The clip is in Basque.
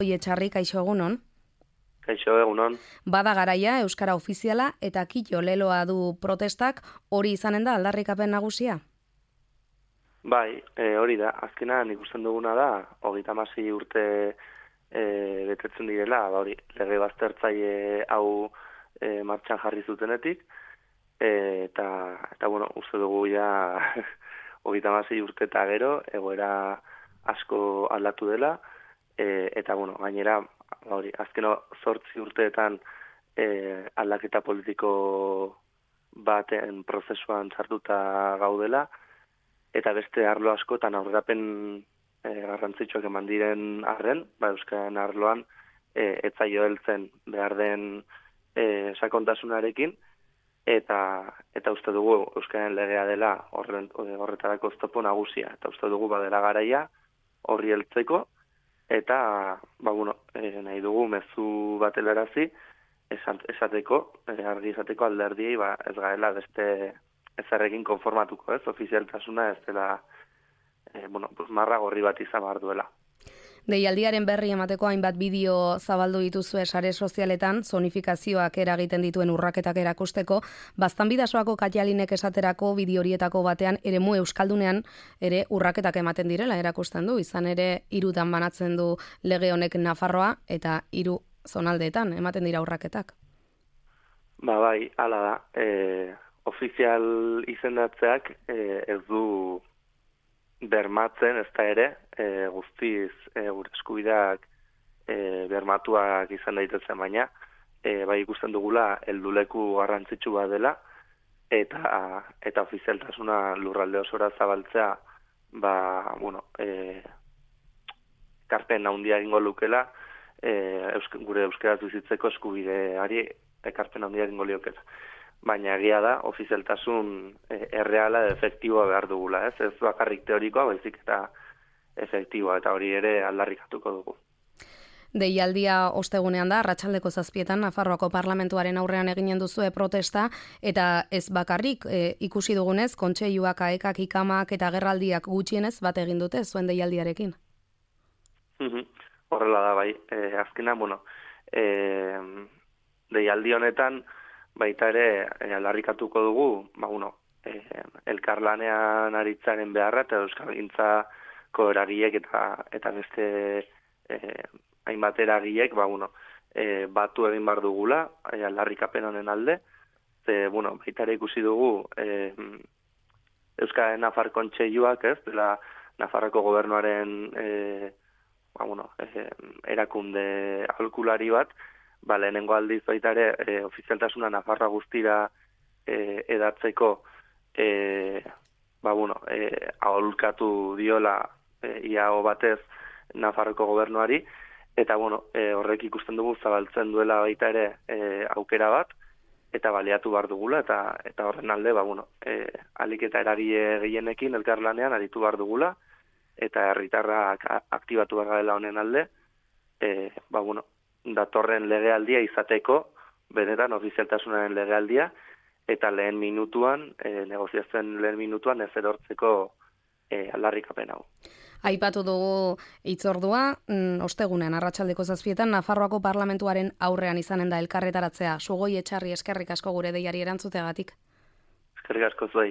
Etxarri, kaixo egunon. Kaixo egunon. Bada garaia euskara ofiziala eta kito leloa du protestak, hori izanen da aldarrikapen nagusia? Bai, hori da. Azkenan ikusten duguna da 36 urte betetzen direla, hori lege baztertzaile hau martxan jarri zutenetik eta bueno, uste dugu ja 36 urte eta gero egoera asko aldatu dela eta bueno, gainera hori azkeno 8 urteetan aldaketa politiko baten prozesuan sartuta gaudela eta beste arlo askotan aurrerapen garrantzitsuak eman diren arren, euskararen arloan ez zaio heltzen behar den sakontasunarekin eta uste dugu euskararen legea dela horretarako oztopo nagusia eta uste dugu badela garaia horri heltzeko eta nahi dugu mezu bat helarazi esateko, argi esateko alderdiei ez gaela beste ezarrekin konformatuko, ez? Ofizialtasuna ez dela marra gorri bat izan behar duela. Deialdiaren berri emateko hainbat bideo zabaldu dituzue sare sozialetan, zonifikazioak eragiten dituen urraketak erakusteko, Baztanbidasoako Katialinek esaterako bideo horietako batean eremu euskaldunean ere urraketak ematen direla erakusten du, izan ere 3 banatzen du lege honek Nafarroa eta 3 zonaldeetan ematen dira urraketak. Bai, hala da. Ofizial izendatzeak ez du bermatzen, ez da ere, guztiz gure eskubideak bermatuak izan daitezen baina, bai ikusten dugula helduleku garrantzitsu bat dela, eta ofizialtasuna lurralde osora zabaltzea, ekarpen handia egingo lukela, gure euskaraz bizitzeko eskubideari ekarpen handia egingo liokela. Baina egia da, ofizialtasun erreala efektiboa behar dugula, ez? Ez bakarrik teorikoa, baizik eta efektiboa, eta hori ere aldarrikatuko dugu. Deialdia ostegunean da, arratsaldeko 7etan, Nafarroako Parlamentuaren aurrean eginen duzue protesta, eta ez bakarrik ikusi dugunez, kontseiluak, aekak, ikamak eta agerraldiak gutxienez bat egin dute zuen deialdiarekin. Horrela da, bai. Azkena, deialdi honetan, baita ere aldarrikatuko dugu, elkarlanean aritzaren beharra eta euskalgintzako eragileek eta beste hainbat eragileek batu egin behar dugula aldarrikapen honen alde. Baita ere ikusi dugu Euskararen Nafar Kontseiluak, ez, dela Nafarroko gobernuaren erakunde aholkulari bat, lehenengo aldiz baita ere ofizialtasuna Nafarroa guztira edatzeko aholkatu diola iago batez Nafarroko gobernuari eta horrek ikusten dugu zabaltzen duela baita ere aukera bat eta baliatu behar dugula eta horren alde alik eta eragile gehienekin elkarlanean aritu behar dugula eta herritarrak aktibatu behar dela honen alde datorren legealdia izateko, benetan ofizialtasunaren legealdia, eta lehen minutuan, negoziazioen lehen minutuan ez erortzeko aldarrikapen hau. Aipatu dugu hitzordua, ostegunean arratsaldeko 7etan Nafarroako Parlamentuaren aurrean izanen da elkarretaratzea. Sugoi Etxarri, eskerrik asko gure deiari erantzuteagatik. Eskerrik asko zuei.